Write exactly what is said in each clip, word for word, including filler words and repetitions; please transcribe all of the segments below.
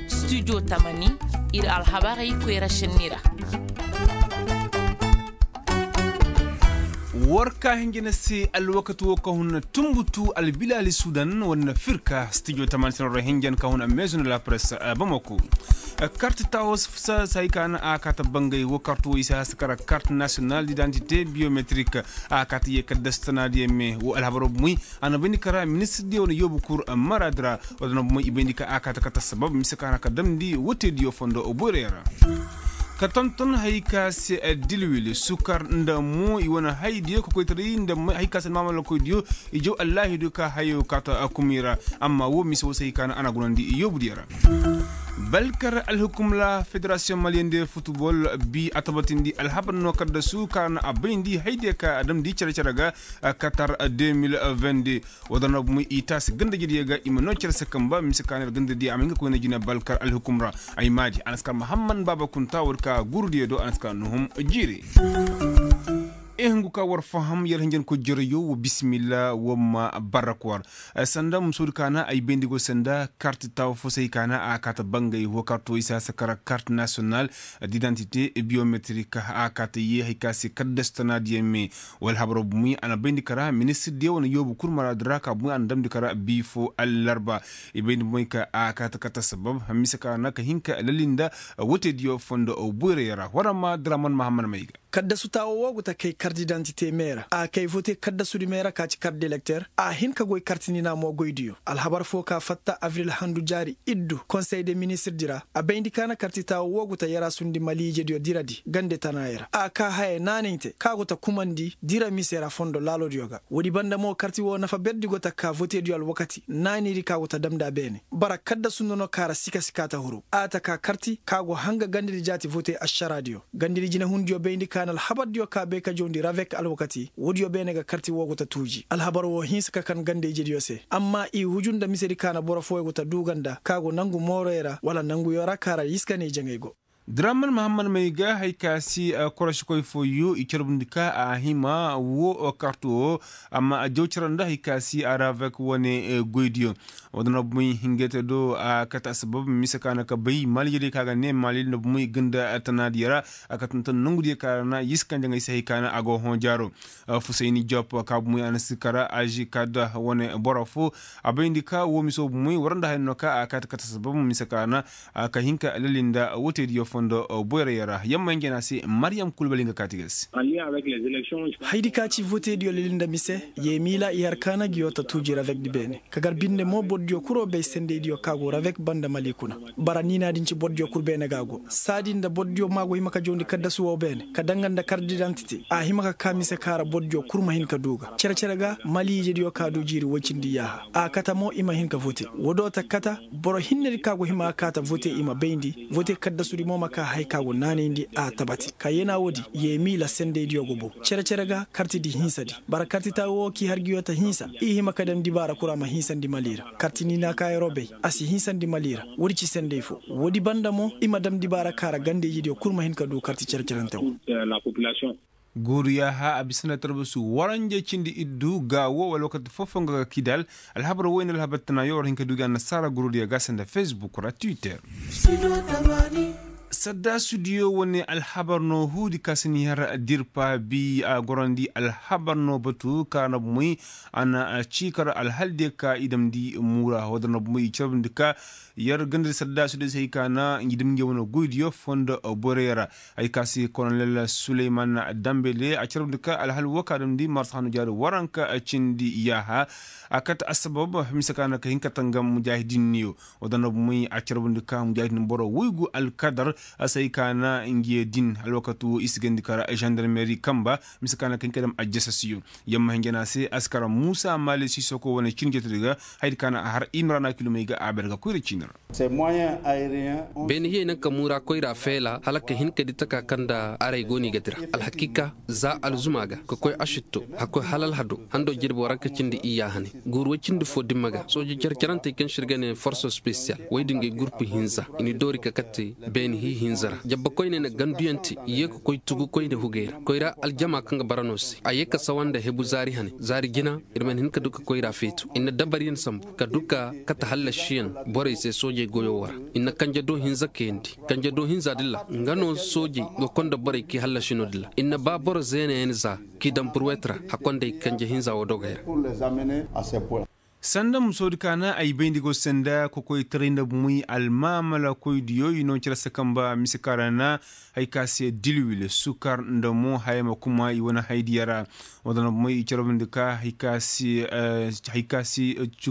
Studio tamani, ir alhabarey koyra šenni ra. War ka hinja na se alwakati wo ka hun na tumbutu albilaali sudan war na firka studio tamani sinaro ra hinja na ka hun a maison de la presse bamako. Karti tawo sa sa hay ka na a kaata bangay wo karti wo i si hasa kara karti national d'identité biométrique. A kaata ye kaddasu tanaadiyaŋ me wo alhabaro bumey. A na bayndi kara ministir diyo wane yoobu kur maraadi ra. Wala na bumey i bayndi ka a kaata kata sabab mise ka na ka damndi wote diyo fondo boyray ra. Ka tonton hay ka se dilwil sukar nda mo i wane hay diyo ka koytaray nda hay ka se maamala koy diyo. I jaw allaahidu ka hayo kaata kumi ra. Amma wo mise wo se hay ka na a na gunandi yoobu diyo ra. Balkar alhukum ra federasiyoŋ maliyandi futbol bi a tabatindi alhabar no kaddasu ka na a bayndi hay diyo ka a damndi cere-cere ga. Katar deux mille vingt-deux. Wala na bumey i taasi ganda jediyo ga i ma no cere se kamba mise ka na ir ganda diyo a ma hin ka koyna jina balkar alhukum ra. Ay maadi a na si kar mahammad baaba kunta wala ka guuru diyo do a na si kar nuhum jiiri. Ihingu ka war faham yar hinjankoy jereyo wa bisimilla wa ma barrak war. Sanda musoodi ka na ay bayndi go sanda karti tawa fo se hay ka na a kaata bangay wo karto i si hasa kara karti nasiyonal d'identité biométrique a kaata ye hay ka se kaddasu tanaadiyaŋ me. Wala habaro bumey a na bayndi kara ministir diyo wane yoobu kur maraadi ra ka bumey a na damndi kara bi fo allarba. I bayndi bumey ka a kaata kata sabab mise ka na ka hin ka lalinda wote diyo fondo boyray ra wala ma draman mahammad mayga. Kaddasu taawo wo gu ta kay kart didantite me ra a kay vote kaddasudi me ra ka ci kart delekter a hin ka goy karti nina mo goydiyo alhabar fo ka fatta avril handu jaari iddu konsey de ministirdi ra. A bayndi ka na karti taawo wo gu ta yaraasundi maliijediyo diradi gande tanaayey ra a ka haya naanay te ka go ta kumandi dira mise ra fondo laalodiyo ga. Woodi banda mo karti wo nafa berdi go ta ka votediyo alwakati naanaydi ka go ta damndi a beene. Bara kaddasu nono kaara sika-sika ta huru a ta ka karti ka go hanga gandedi jaati vote ašaraadiyo. Gandedi jinahundiyo bayndi ka na alhabardiyo ka bay ka jawndi ravek alwakati woodiyo beene ga karti woo go ta tuuji alhabar woo hinsa ka kan ganda-ijediyo se. Amma i huju nda misedi ka na boro fooyo go ta duuga nda ka go nangu mooroyo ra wala nanguyo ra ka ra yiskaney jaŋay go. Draman mahammad may ga hay ka si korosikoy fooyo i carbundi ka a hima woo karti woo. Amma a jaw cara nda hay ka si a ravek wane goydiyo. Woo da na bumey hingay te do a kate assabab mise ka na ka bay maliijediyo ka ga ne mali nda bumey ganda tanaadiyo ra. A ka tonton nongudiyo ka ra na yiskanjaŋay se hay ka na a go hõ jaaro. Fusayni jop ka bumey a na si kara aži ka da wane boro foo. A bayndi ka woo miso bumey war nda hay no ka a kate kate assabab mise ka na ka hin ka lali nda wotediyo fondo boyrayo ra yamma hinja na se maryam kulbali nga kaati ga se. Haydi ka ci votediyo leli nda mise, yee miila i har kaana ngiyo ta tuuji ravekdi beene. Ka gar binde mo bordiyo kul woo bay sendeydiyo ka go ravek banda mali kuna. Bara niinaadin ci bordiyo kul beene ga go saadi nda bordiyo ma go hima ka jawndi kaddasu woo beene ka danga nda kart didantite a hima ka kaa mise ka ra bordiyo kul ma hin ka duu ga cere-cere ga maliijediyo ka duu jiiri woy cindi yaaha. A kate mo i ma hin ka vote. Woo do ta kate boro hinnedi ka go hima ka kaa ta vote i ma bayndi vote kaddasudi mo ma kaa haya ka go naanayndi a tabati ka yeenaa woodi. Yee miila sendeydiyo go bow cere-cere ga kartidi hinsadi. Bara karti taawo woo k'i har ngiyo ta hinsa i hima ka dam dibaara kul a ma hinsandi mali ra. Karti niinaa ka yeroo bay a si hinsandi mali ra. Woodi ci sendey foo woodi banda mo i ma dam dibaara ka ra ganda-ijediyo kul ma hin ka duu karti cere-cerante woo. Guuru yaaha a bisa nda tarbasu waranja cindi iddu gaawo wala wakati foo foo nga ga kidal. Alhabar woy nda alhabar tanaayo war hin ka duu gi annasaara guurudiyo ga se nda facebook ra twitter. Saddaasudiyo wane alhabar no huudi ka si ni har dirpa bi a gorandi alhabar no batu ka na bumey. A na ciikar alhaldiyo ka i damndi muura woo da na bumey i carbundi ka yer gandadi saddaasudiyo se hay ka na ngi dam ngi wane goydiyo fondo boyrayo ra. Hay ka se kolonel suleyman dambele a carbundi ka alhal woo ka damndi marsa hanu jaari waranka cindi yaaha. A kate assabab mise ka na ka hin ka tangam mujaahidinniyo. Woo da na bumey a carbundi ka mujaahidin boro woygu alkadar. A se hay ka na ngiyo din alwakati woo i si gandi kara žandarmeri kamba. Mise ka na ka hin ka dam ajjasasiyo. Yamma hinja na se askara muusa maali sisoko wane cin jatedi ga. Hayadi ka na a har imrana kilomey ga a ber ga koyra ciini ra. Beene hiyey naŋ ka muura koyra feela hala ka hin ka di taka kaŋ nda arey go no i ga dira. Alhakiika za alzuma ga ka koy ašitto hakkoy hala alhado hando jirbi waranka cindi iyya hane. Guuru woy cindi foo dimma ga sooje care-carantey kaŋ se ir ga ne forso spesiyal woy din ga ay gurpu hinza i na i doori ka kate beene. Hinza ra jabba koyne na ganduyaŋ te, i ye ka koy tugu koyne hugey ra koyra aljama kaŋ ga bara no se a ye ka sawa nda hebu zaari hane zaari jina. Ir mana hin ka du ka koyra feetu ir na dabaryaŋ sambu ka du ka kate hallasiyaŋ borey se soojey goyo wo ra. Ir na kanje do hinza kayandi kanje do hinza dilla nga no soojey ga konda borey k'i hallasi no dilla ir na ba boro zeenayaŋ za k'i daŋ burwet ra. Hakondey kanje hinza wo dogey ra. Sanda musoodi ka na ay bayndi go se nda kokoytaray nda bumey almaamala koydiyo i no cere se kamba mise ka ra na hay ka se dilwil sukar nda mo haya ma kuma i wane haydiya ra. Wadana bumey i carabandi ka hay ka se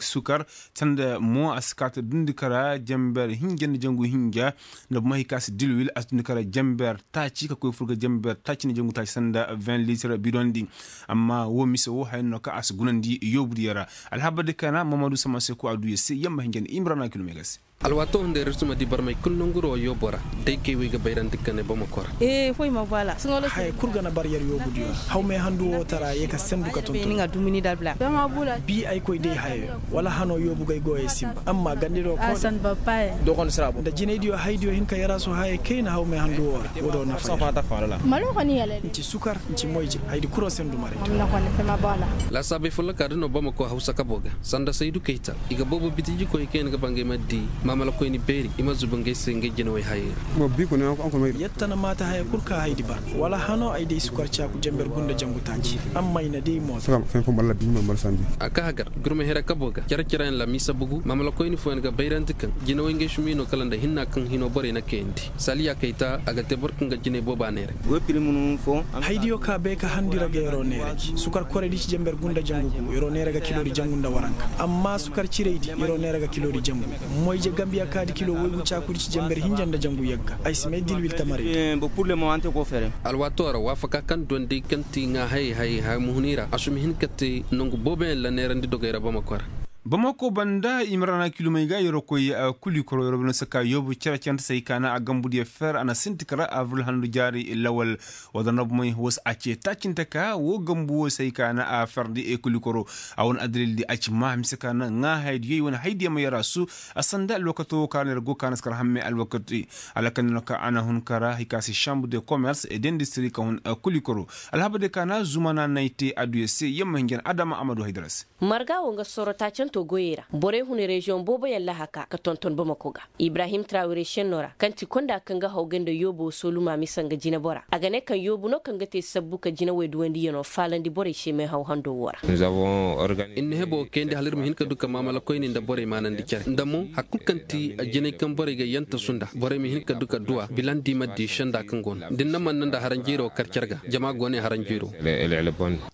sukar sanda mo a si ka ta dundi ka ra jamber hinja nda jangu hinja. Nda bumey hay ka se dilwil a si dundi ka ra jamber taaci ka koy fur ga jamber taaci nda jangu taaci sanda vingt litre bidondi. Amma wo mise wo haya no ka a si gunandi yoobudiyo ra. Alhabar di kana mamadu sama se ko a du ya se yamma hinja nda imrana kilomega se. Alwaato hunday ra ir si ma di barmey kulu nanguro yoobo ra. Day kay wey ga bayrandi ka ne bamako ra. Haya kulu ga na bar yer yoobudiyo ra hawmey handu wo tara ye ka sendu ka tonton. Bi ay koy day hayo wala hano yoobu gay goyey simba amma gandiro ko nda jinaydiyo haydiyo hin ka yarasu haya kayna hawmey handu wo ra. Wo do nafa. Nci sukar nci moyje haydi kuro sendu maray. Laasaabey folloka da no bamako hawsa kabo ga sanda saydu kayta i ga boobo bitijikoy kaŋ yaŋ ga ba ngey ma di maamalakoyni beeri i ma zuba ngey se ngey jinawey hayey ra. Yetta na maata haya kul ka haydi ba wala hano ay day sukar caaku jamber gunda jangu taaci. Amma i na day mooto. A ka hagar gurma hira kabo ga care-careyaŋ la miisa bugu maamalakoyni fooyaŋ ga bayrandi kaŋ jinawey ngey sumi no kala nda hinna kaŋ hino borey na kayandi. Saliya kayta a ga te boro kaŋ ga jinay booba neeray. Haydiyo ka bay ka handi ra ga yeroo neera ji sukar korey di ci jamber gunda jangu gu yeroo neera ga kilo di jangu nda waranka. Amma sukar cirey di yeroo neera ga kilo di jangu. Moyje gambiya ka di kilo woygu caaku di ci jamber hinja nda jangu yagga ay si may dilwil tamarey. Alwaatoo ra waafaka kaŋ duwandi kaŋ ti ŋaa hayey hayey haya muhuni ra a sumi hin ka te nangu booboyaŋ la neerandi dogey ra bamako ra. Bamako banda imrana kilomey ga yeroo koy kulikoro yeroo banda saka yoobu cere-cerente se hay ka na a gambudiyo fer a na sinti kara abril handu jaari lawal. Wala nda bumey wo se a ce taacinte ka wo gambu wo se hay ka na a ferdi kulikoro. A wane addalil di a ci ma mise ka na ŋaa haydiyo i wane haydiyo ma yara su. A sanda alwakato wo ka na yara go ka na si kar hamme alwakati. Alakandi no ka a na hun kara hay ka se chambre de commerce et d'industrie ka hun kulikoro. Alhabadiyo ka na zumana na ay te adduya se yamma hinja na adama a ma du haydara se. Marga wo nga sorro taacanto goyey ra borey hun reziyoŋ booboyaŋ lahaka ka tonton bamako ga. Ibrahim trawire šenno ra kaŋ ti konda kaŋ ga haw gay nda yoobo sooluma mise nga jinebora a ga ne kaŋ yoobu no kaŋ ga te sabbu ka jinawey duwandiyano faalandi borey se meehaw hando wo ra. Ir na hebo kayandi hala ir ma hin ka du ka maamala koyne nda borey maanandi cere nda mo hari kulu kaŋ ti jinay kaŋ borey ga yantasu nda borey ma hin ka du ka duwa bilandi ma di senda kaŋ go no da ni na man na nda haranjiro kar care ga jama go ne haranjiro.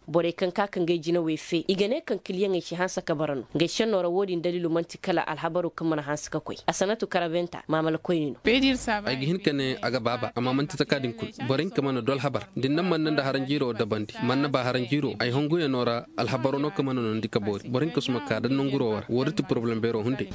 Borey kaŋ ka ka ngey jinawey fe i ga ne kaŋ kiliyaŋey si hanse ka bara no ngey senno ra wo-din daliilo man'ti kala alhabaro kaŋ mana hanse ka koy asanatu karabenta maamala koyni no. Ay ga hin ka ne a ga baaba amma man'ti taka din kulu. Borey hinka mana du alhabar da ni na man na nda haranjiro dabandi man na ba haranjiro ay honguyaŋo ra. Alhabaro no kaŋ mana nondi ka boori borey hinka suma ka da nanguro wo ra wo-din ti poroblem beero hunday.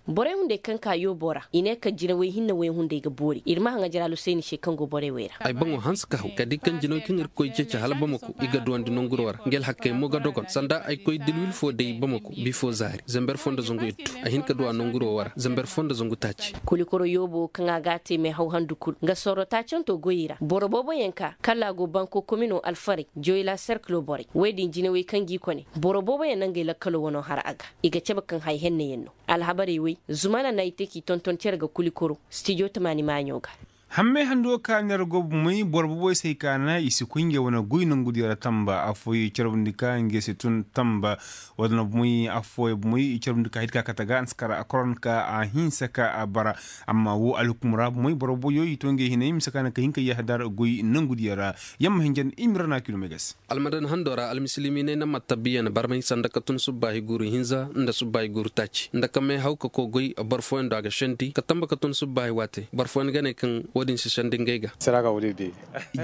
Borey hunday kaŋ ka yoobo ra i ne kaŋ jinawey hinne woy hunday ga boori ir ma haŋ ajaraalu sayni se kaŋ go borey wey ra. Ay boŋo hanse ka haw ka di kaŋ jinawey kaŋ ir ga koy ceeci hala bamako i ga duwandi nanguro ra nga alhakkey mo ga dogon sanda ay koy dilwil fo day bamako bifo zaari zamber fo nda zangu iddu. Ay hin ka duwa nanguro wo ra zamber fo nda zangu taaci. Kulikoro yoobo kaŋ a ga a te meehaw handu kul nga sorro taacanto goyey ra boro booboyaŋ ka kala a go banko komino alfarey joyla serkilo borey wey din jinawey kaŋ g'i kone boro booboyaŋ na ngey lakkalo wano har a ga. I ga cabe kaŋ hay henneyaŋ no. Alhabarey wey zumana na ay te k'i tonton cere ga kulikoro stijo tamaani maaɲo ga. Hammey hando ka neera go bumey boro boboy se hay ka na i si koy ngey wane goy nongudiyo ra tamba affooyey carbundi ka ngey se tun tamba. Wala na bumey affooyey bumey i carbundi ka hay ka kate ga a na si kara a koron ka a hinsa ka a bara. Amma wo alhukum ra bumey boro boboyo i to ngey hinay mise ka na ka hin ka yahadar goy nongudiyo ra. Yamma hinjan imira na kilomey ga se. Almadan hando ra almisilimiiney na mattabiyan barmay sanda ka tun subbaahi guuru hinza nda subbaahi guuru taaci nda ka meehaw ka koy goy boro fooyaŋ do a ga sendi ka tamba ka tun subbaahi waate boro fooyaŋ ga ne kaŋ wo-din si sendi ngey ga.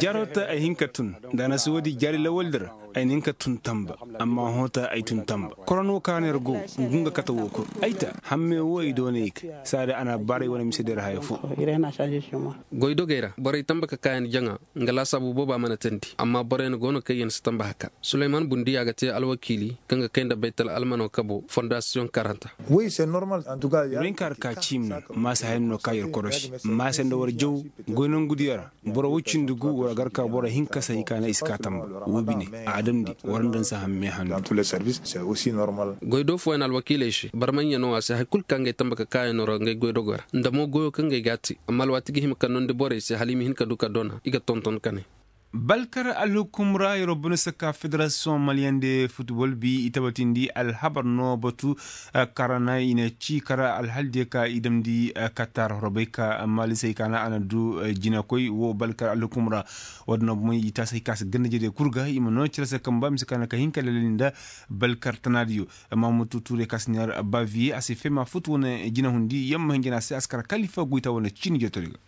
Jaroo te ay hin ka tun nda a na si wo-din jaari lawaldi ra. ay na hin ka tun tamba. Amma hota ay tun tamba. Koron wo ka no yer go, ngu nga kate wo kul. Ay ta hamme wo i doonay ga saadi a na baray wane mise da yer haya fo. Goydogey ra borey tamba ka kaayan jaŋa. Nga laasaabu booba mana teendi amma boroyaŋ go no kaŋ yer si tamba haka. Sulayman bundi a ga te alwakiili kaŋ ga kay nda baytal almano kabo fondasiyoŋ karanta. Wi se normal. Antuka ya. Rinka harka ciimi no maasa hayan no ka yer korosi maasa nda war jaw. Goy nangu diyo ra boro wo cindi gu war gar ka boro hinka se hay ka na i si ka tamba. Wo bine a damndi war nda ni si hamme handu. Goy do fooyaŋ alwakiiley se barmaɲɲa no a se hari kulu ka ngey tamba ka kaayaŋ no ra ngey goy dogo ra nda mo goyo kaŋ ngey ga a te. Amma alwaati ga hima ka nondi borey se hala i ma hin ka du ka dona i ga tonton ka ne. Balkar alhukum ra yeroo bone saka federasiyoŋ maliyaŋ de futbol bi i tabatindi alhabar no batu. Kara na i na ci kara alhal diyo ka i damndi katar horo bay ka maalisey ka na a na du jinakoy wo balkar alhukum ra. Wo- din no bumey i taasi hay ka si ganda jede kul ga i ma no cere se kamba mise ka na ka hin ka lelel nda balkar tanaadiyo. Amma mutu tuure ka si neer baviye a si fema fut wane jinahundi yamma hinjina se a si kara kalifa goyta wane ciini jotori ga.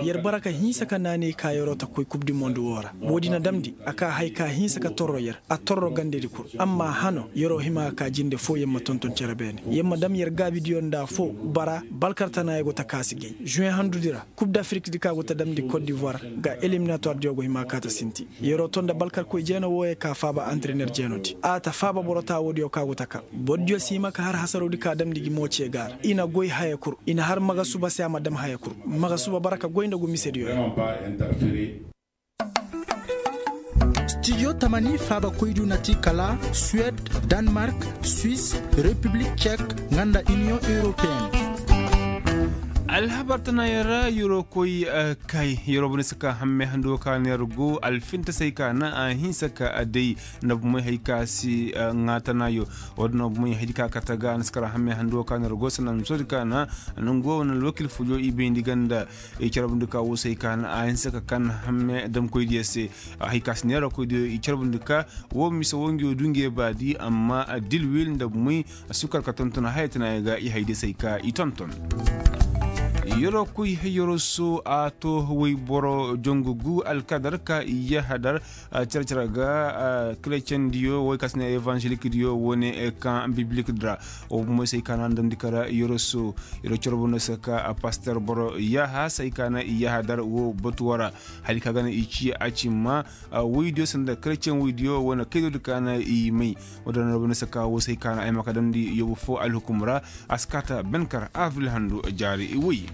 Yer bara ka hinsa ka naanay ka yeroo ta koy kub di mond woo ra. Woodi na damndi a ka hay ka hinsa ka torro yer a torro gandedi kul. Amma hano yeroo hima ka ka jinde foo yer ma tonton cere beene yer ma dam yer gaabidiyo nda foo. Bara balkartanaayo go ta ka si gay žuwen handudi ra kub dafirik di ka go ta damndi kot divoir ga eliminatoir diyo go hima ka ta sinti. Yeroo to nda balkarkoy jeena wooyey ka faaba anterener jeenodi a ta faaba boro taawoodiyo ka go ta ka. Bordiyo si hima ka har hasaroo di ka damndi gi mo cee ga a ra i na goy haya kul. I na har magasuba se a ma dam haya kul. Magasuba bara ka goy nda gu misediyo. Studio tamani faabakoydiyo na ti kala suwed, danmark, swis, repiblik cek, nga nda iniyoŋ europeen. Alhabar tana yer ra yeroo koy kay yeroo bane si ka hamme hando ka na yer go alfinta se hay ka na a hinsa ka a day. Nda bumey hay ka si ŋaa tana yo. Wo- din no bumey hay di ka kate ga a na si kara hamme hando ka na yer go sanda misoodi ka na nangu wo wane alwakil fujo i bayndi ganda. I carbundi ka wo se hay ka na a hinsa ka kan hamme damkoydiyo se. Hay ka si neera koydiyo i carbundi ka wo mise wo ngiyo du ngiyo baadi amma dilwil nda bumey. Sukar ka tonton haya tana ya ga i haydiyo se hay ka i tonton. Yeroo koy yeroo so a to woyboro jongu gu alkadar ka i yahadar. Cere-cere ga kereceŋ diyo woy ka si ne evanzelik diyo wane kaŋ biblik di ra. Wo bumey se hay ka na a ndandi kara yeroo so. Yeroo cere bumey se ka paster boro yaha se hay ka na i yahadar wo batu woo ra. Hari ka ga na i ci a cimma woydiyo sanda kereceŋ woydiyo wane kaydoodi ka na i may. Wo- din na bumey se ka wo se hay ka na ay ma ka damndi yoobu foo alhukum ra. A si kaa ta benkar avril handu jaari woy.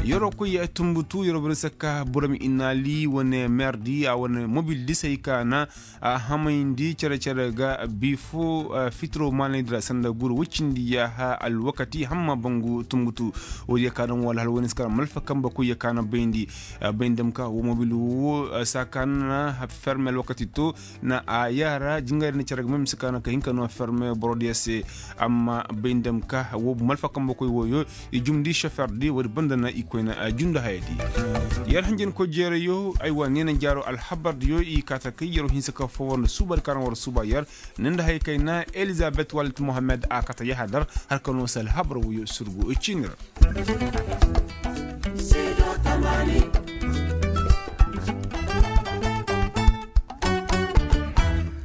Yeroo koy tumbutu yeroo bumey se ka buram inaali wane meerdi a wane mobildi se hay ka na a hamayndi cere-cere ga bi foo. Fitiro maanaydi ra sanda guru woy cindi yaaha alwakati hamma bangu tumbutu. Woodiyo ka daŋ woo alhal woy ni si kara malfa kambe koyyo ka na bayndi. Bayndi dam ka woo mobil woo saa ka na ferme alwakati to. Na a yaara jingarey na cere ga may ma si kaa na ka hin ka noo ferme borodiyo se. Amma bay nda ma ka woo bu malfa kambe koy wooyo. I jumndi soferdi woodi banda na i koyna jundi hayadi. Yer hanjankoy jeerayo aywa neena jaaro alhabardiyo i kaa ta kay yeroo hinsa ka foo war nda suuba di ka na war suuba yer. Ni nda haya kayna elizabet walit mohammed a kate yahadar. Har ka noo se alhabar wooyo surgu ciini ra.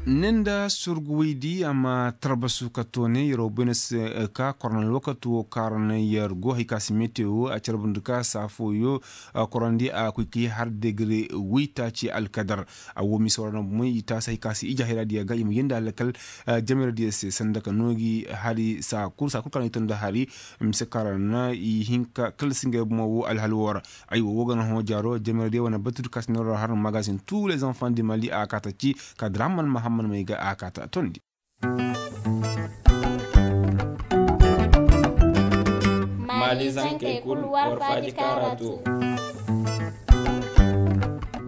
Ni nda surgu woydi a ma tarbasu ka toone yeroo bayna se ka korona alwakati woo kaarana yer go hay ka si metewo a carbundi ka saa fooyo. Korandi a koy ka yee har degre woytaaci alkadar. A woo mise war na bumey i taasi hay ka si ije hayraadiyo ga i ma yeendi alkal. Jameradiyo se sanda ka noo gi hari saa kul saa kul ka na i to nda hari. Mise kaŋ ra na i hin ka kalasi ngey bomo woo alhal woo ra. Aywa woo ga na hõ jaaro jameradiyo wane batu di ka si neeroo ra har magazin tous les enfants du mali a kaa ta ci ka draman mahamman may ga a kaa ta tondi. Maalizankey kul war faaji kaara too.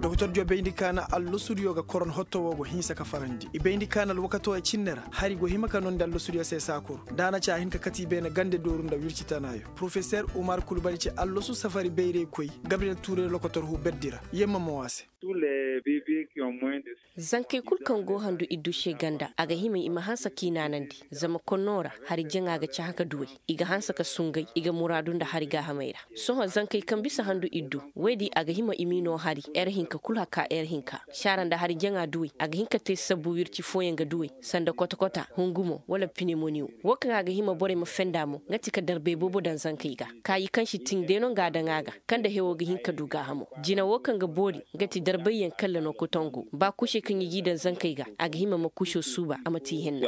Dokotordiyo bayndi ka na allosudiyo ga koron hotto woo go hinsa ka farandi i bayndi ka na alwakatoo ya cinne ra hari go hima ka nondi allosudiyo se saa kul. Da a na ci a hin ka kate i beene gande dooru nda wirci tanaayo. Porofeser umar kulbali ci allosu safari bayraykoy gabriyel tuuray lokotor huu berdi ra. Yemma mo a se. Tous les bébés qui ont moins de. Zankey kul kaŋ go handu iddu se ganda a ga hima i ma hanse k'i naanandi. Zama konno ra hari jaŋa ga cahã ka duwey. I ga hanse ka sungay i ga muraadu nda hari gaahamey ra. Sohõ zankey kaŋ bisa handu iddu woy di a ga hima i m'i no hari er hinka kul haka er hinka. Saara nda hari jaŋa duwey a ga hin ka te sabbu wirci fooyaŋ ga duwey, sanda kota kota, hungumo wala pinemoniyo. Wo kaŋ a ga hima borey ma fenda mo nga ti ka darbey boobo daŋ zankey ga. Kaayi kaŋ si tin day no nga a daŋ a ga, kaŋ nda hewo ga hin ka du gaahamo. Jina wo kaŋ ga boori nga ti darbayyaŋ kalla no kotongu ba kuusey kaŋ i g'i daŋ zankey ga. A ga hima ma kuuso suuba a ma ti i hinna.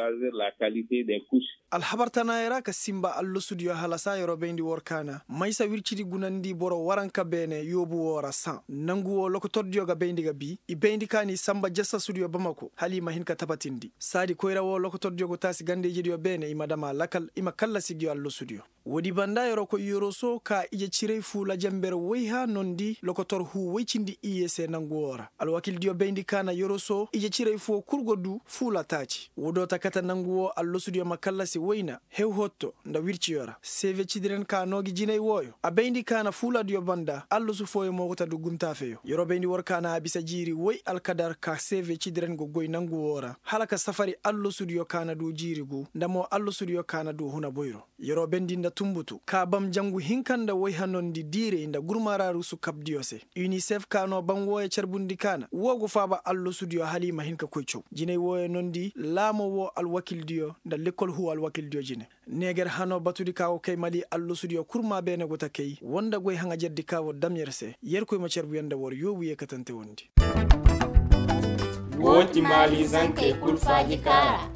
Alhabar tanaayey ra ka sinba allasudiyo halasa yeroo bayndi war kaana maysa wircidi gunandi boro waranka beene yoobu woo ra saŋ nangu woo lokotordiyo ga bayndi ga bii i bayndi ka n'i sanba jasasudiyo bamako hala i ma hin ka tabatindi saadi koyra woo lokotordiyo go taasi ganda-ijediyo beene i ma dam a lakal i ma kallasi ngi allasudiyo. Woodi banda yeroo koy yoroso ka ije ciray fuula jenber woyha nondi lokotor huu woy cindi iyye se nangu woo ra alwakildiyo bayndi ka na yoroso ije ciray foo kul go du fuula taaci woo do ta kate nangu woo allasudiyo ma kallasi wayna hew hotto nda wirciyo ra seeve cidiren ka noo gi jinay wooyo a bayndi ka na fuuladiyo banda allasu fooyo mo go ta du guntaafeyo yeroo bayndi war ka na a bisa jiiri woy alkadar ka seeve cidiren go goy nangu woo ra hala ka safari allasudiyo ka na du jiiri gu nda mo allasudiyo ka na du huna boyro yeroo bendi nda tunbutu ka bam jangu hinka nda woyha nondi diirey nda gurmaaraarusu kabdiyo se. Unicef ka noo ban wooyo carbundi ka na woo go faaba allasudiyo hala i ma hin ka koy caw jinay wooyo nondi laamo woo alwakildiyo nda lekkol huu alwakildiyo jine. Neeger hanoo batudi ka go kay mali allasudiyo kurmaa beene go ta kay woo nda goy haŋajerdi ka war dam yer se yerkoy ma carbu yer nda war yoobu yee katante wondi. Woo ti maali zankey kul faaji kaara.